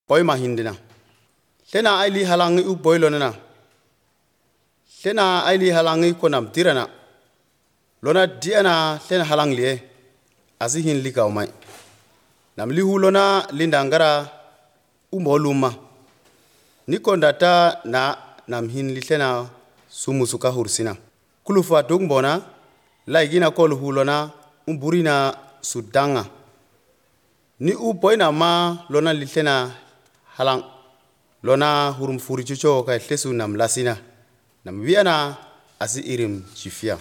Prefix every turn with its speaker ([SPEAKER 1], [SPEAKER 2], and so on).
[SPEAKER 1] boy mahindina lena aili halangi u boylonena lena aili halangi konam tirana lona diana lena halangliye azihin likawmai namli hulona lindangara umoluma nikondata na namhin lena sumusuka hursina kulufa dungbona laigina kol hulona umburina sudanga ni u boyna ma lona lena halang lona hurum furichucho ka hlesu nam lasina nam wiana asi irim chifia